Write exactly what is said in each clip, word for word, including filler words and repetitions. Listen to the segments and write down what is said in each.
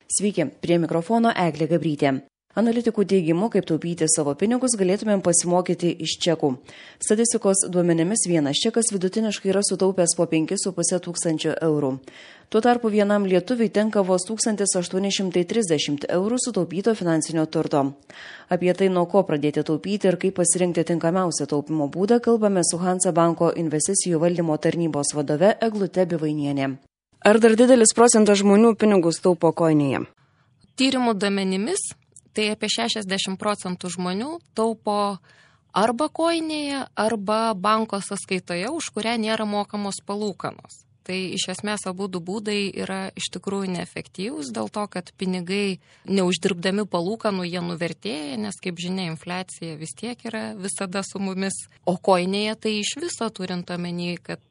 Sveiki, prie mikrofono Eglė Gabrytė. Analitikų teigimu, kaip taupyti savo pinigus, galėtumėm pasimokyti iš čekų. Statistikos duomenimis vienas čekas vidutiniškai yra sutaupęs po penkis su puse tūkstančio eurų. Tuo tarpu vienam lietuviui tenka vos tūkstantis aštuoni šimtai trisdešimt eurų sutaupyto finansinio turto. Apie tai, nuo ko pradėti taupyti ir kaip pasirinkti tinkamiausią taupimo būdą, kalbame su Hansa banko investicijų valdymo tarnybos vadove Eglute Bivainienė. Ar dar didelis procentas žmonių pinigus taupo koinėje? Tyrimų duomenimis tai apie šešiasdešimt procentų žmonių taupo arba koinėje, arba banko sąskaitoje, už kurią nėra mokamos palūkanos. Tai iš esmės abu du būdai yra iš tikrųjų neefektyvūs dėl to, kad pinigai neuždirbdami palūkanų jie nuvertėja, nes kaip žinia, infliacija vis tiek yra visada su mumis. O koinėje tai iš viso turint omeny, kad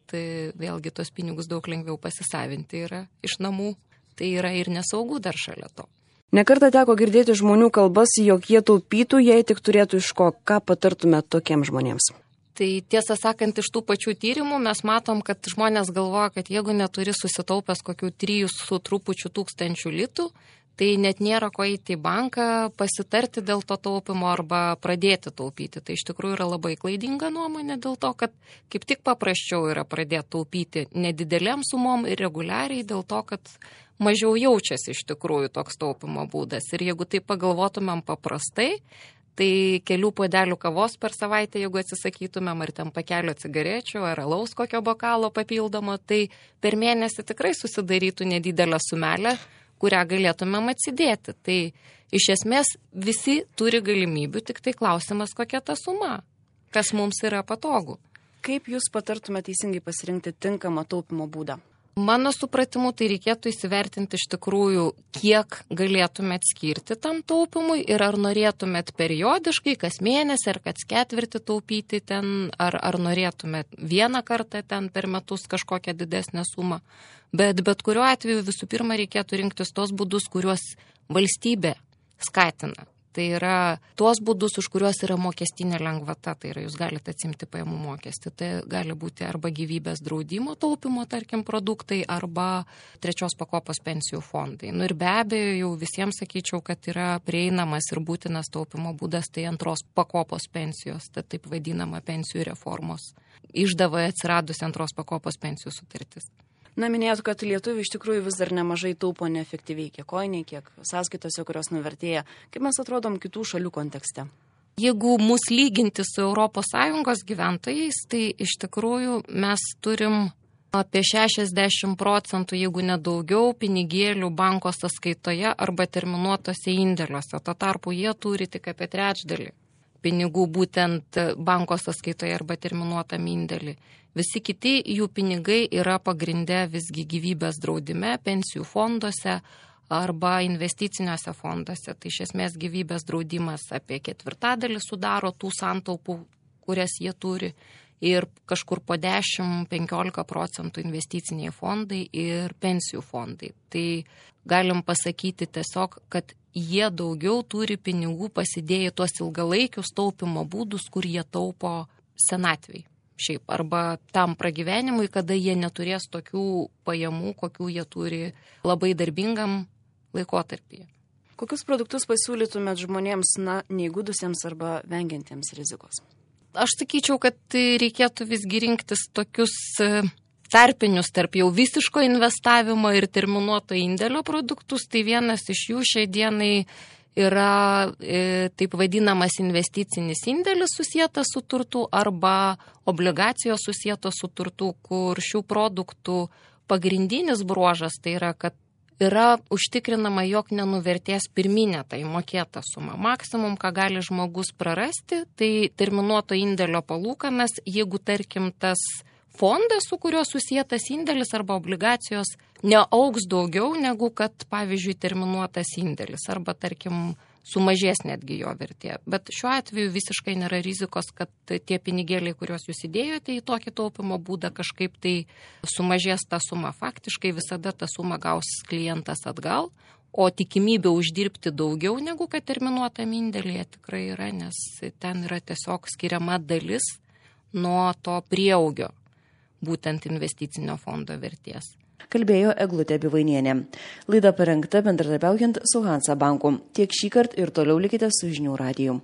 vėlgi tos pinigus daug lengviau pasisavinti yra iš namų. Tai yra ir nesaugu dar šalia to. Nekartą teko girdėti žmonių kalbas, jog jie taupytų, jei tik turėtų iš ko. Ką patartumėte tokiems žmonėms? Tai tiesą sakant, iš tų pačių tyrimų mes matom, kad žmonės galvoja, kad jeigu neturi susitaupęs kokių trijų su trupučiu tūkstančių litų, tai net nėra ko eiti į banką, pasitarti dėl to taupimo arba pradėti taupyti. Tai iš tikrųjų yra labai klaidinga nuomonė dėl to, kad kaip tik paprasčiau yra pradėti taupyti nedidelėm sumom ir reguliariai dėl to, kad mažiau jaučiasi iš tikrųjų toks taupimo būdas. Ir jeigu tai pagalvotumėm paprastai, tai kelių puodelių kavos per savaitę, jeigu atsisakytumėm, ar ten pakelio cigarečių, ar alaus kokio bokalo papildomo, tai per mėnesį tikrai susidarytų nedidelę sumelę, kurią galėtumėm atsidėti. Tai iš esmės visi turi galimybių, tik tai klausimas, kokia ta suma, kas mums yra patogu. Kaip jūs patartumėte teisingai pasirinkti tinkamą taupimo būdą? Mano supratimu, tai reikėtų įsivertinti iš tikrųjų, kiek galėtumėt skirti tam taupimui ir ar norėtumėt periodiškai, kas mėnesį ar kas ketvirtį taupyti ten, ar, ar norėtumėt vieną kartą ten per metus kažkokią didesnę sumą. Bet bet kuriuo atveju visų pirma reikėtų rinktis tos būdus, kuriuos valstybė skatina. Tai yra tuos būdus, už kuriuos yra mokestinė lengvata, tai yra jūs galite atsimti pajamų mokestį. Tai gali būti arba gyvybės draudimo taupimo, tarkim, produktai, arba trečios pakopos pensijų fondai. Nu ir be abejo, jau visiems sakyčiau, kad yra prieinamas ir būtinas taupimo būdas, tai antros pakopos pensijos, tai taip vadinama pensijų reformos. Išdavoje atsiradusi antros pakopos pensijų sutartis. Na, minėjot, kad lietuvių iš tikrųjų vis dar nemažai taupo neefektyviai, kiek koinė, kiek sąskaitose, kurios nuvertėja. Kaip mes atrodom kitų šalių kontekste? Jeigu mus lyginti su Europos Sąjungos gyventojais, tai iš tikrųjų mes turim apie šešiasdešimt procentų, jeigu nedaugiau, pinigėlių banko sąskaitoje arba terminuotose indėliuose. Tuo tarpu jie turi tik apie trečdalį pinigų būtent banko sąskaitoje arba terminuotam indėlį. Visi kiti jų pinigai yra pagrindę visgi gyvybės draudime, pensijų fonduose arba investiciniuose fonduose. Tai iš esmės gyvybės draudimas apie ketvirtadalį sudaro tų santaupų, kurias jie turi. Ir kažkur po dešimt iki penkiolikos procentų investiciniai fondai ir pensijų fondai. Tai galim pasakyti tiesiog, kad jie daugiau turi pinigų pasidėję tuos ilgalaikius taupimo būdus, kur jie taupo senatvei. Šiaip, arba tam pragyvenimui, kada jie neturės tokių pajamų, kokių jie turi labai darbingam laikotarpyje. Kokius produktus pasiūlytumėt žmonėms, na, neįgudusiems arba vengiantiems rizikos? Aš sakyčiau, kad reikėtų visgi rinktis tokius tarpinius tarp jau visiško investavimo ir terminuoto indėlio produktus. Tai vienas iš jų šiai dienai yra e, taip vadinamas investicinis indėlis susietas su turtu arba obligacijos susietos su turtu, kur šių produktų pagrindinis bruožas tai yra, kad yra užtikrinama, jog nenuvertės pirminė tai mokėta suma. Maksimum, ką gali žmogus prarasti, tai terminuoto indėlio palūkanas, jeigu tarkim tas fondas, su kuriuo susietas indėlis arba obligacijos, neaugs daugiau negu kad, pavyzdžiui, terminuotas indėlis arba, tarkim, sumažės netgi jo vertė. Bet šiuo atveju visiškai nėra rizikos, kad tie pinigėliai, kuriuos jūs įdėjote į tokį taupimo būdą, kažkaip tai sumažės ta suma. Faktiškai visada tą sumą gaus klientas atgal, o tikimybė uždirbti daugiau negu kad terminuotam indėlyje tikrai yra, nes ten yra tiesiog skiriama dalis nuo to prieaugio, būtent investicinio fondo vertės. kalbėjo Eglutė Bivainienė. Laida parengta bendradarbiaujant su Hansa banku. Tiek šįkart ir toliau likite su Žinių radiju.